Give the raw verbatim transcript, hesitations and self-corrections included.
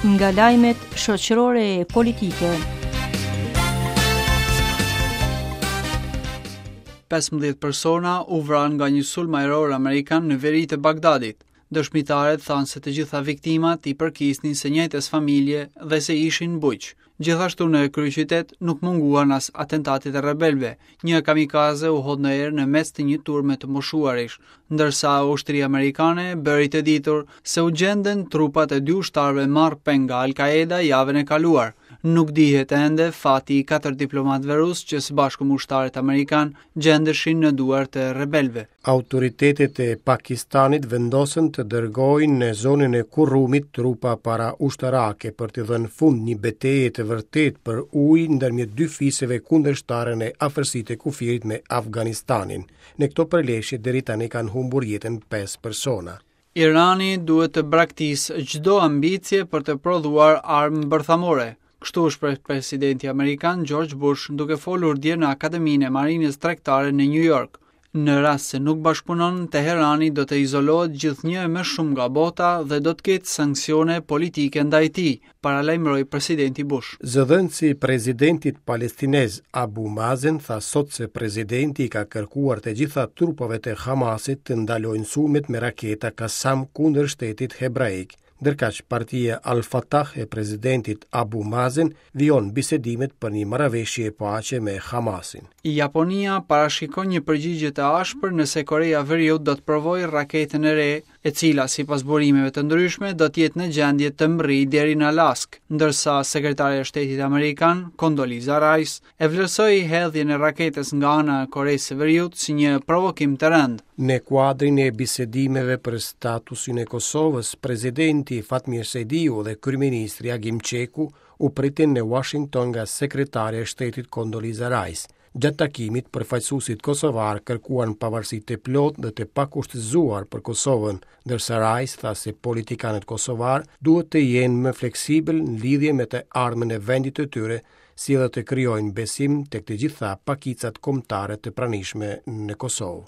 Nga lajmet shoqërore e politike. pesëmbëdhjetë persona u vranë nga një sulm ajror amerikan në veri të Bagdadit. Dëshmitarët thanë se të gjitha viktimat i përkisnin së njëjtës familje dhe se ishin bujq. Gjithashtu në kryeqytet nuk munguan as atentatet e rebelëve. Një kamikaze u hodh në erë në mes të një turme të moshuarish, ndërsa ushtria amerikane bëri të ditur se u gjenden trupat e dy ushtarëve marrë peng nga Al-Qaeda javën e kaluar. Nuk dihet ende fati i katër diplomatëve rusë që së bashku me ushtarët amerikan gjendeshin në duar të rebelëve. Autoritetet e Pakistanit vendosën të dërgojnë në zonën e Kurrumit trupa para ushtarake për të dhënë fund një beteje të vërtetë për ujë ndërmjet dy fiseve kundërshtare në afërsi të kufirit me Afganistanin. Në këto përleshje deri tani kanë humbur jetën pesë persona. Irani duhet të braktisë çdo ambicie për të prodhuar armë bërthamore. Kështu u shpreh presidenti amerikan George Bush duke folur dje në Akademinë e Marinës Tregtare në New York. Në rast se nuk bashkëpunon, Teherani do të izolohet gjithnjë e më shumë nga bota dhe do të ketë sanksione politike ndaj tij, paralajmëroi presidenti Bush. Zëdhënësi i presidentit palestinez Abu Mazen tha sot se presidenti i ka kërkuar të gjitha trupave të Hamasit të ndalojnë sulmet me raketa Qassam kundër shtetit hebraik. Ndërkaq partia Al-Fatah e presidentit Abu Mazen vijon bisedimet për një marrëveshje paqe me Hamasin. Japonia parashikon një përgjigje të ashpër nëse Korea e Veriut do të provojë raketën e re, e cila sipas burimeve të ndryshme do të jetë në gjendje të mbërrijë deri në Alaskë, ndërsa sekretarja e Shtetit Amerikan Condoleezza Rice e vlerësoi hedhjen e raketës nga ana e Koresë së Veriut si një provokim të rëndë. Në kuadrin e bisedimeve për statusin e Kosovës, presidenti Fatmir Sejdiu dhe kryeministri Agim Çeku u pritën në Washington nga sekretarja e Shtetit Condoleezza Rice. Gjatë takimit, përfaqësuesit kosovar kërkuan pavarësi të plotë dhe të pakushtëzuar për Kosovën, ndërsa Rice tha se politikanët kosovar duhet të jenë më fleksibël në lidhje me të ardhmen e vendit të tyre, si edhe të krijojnë besim tek të gjitha pakicat kombëtare të pranishme në Kosovë.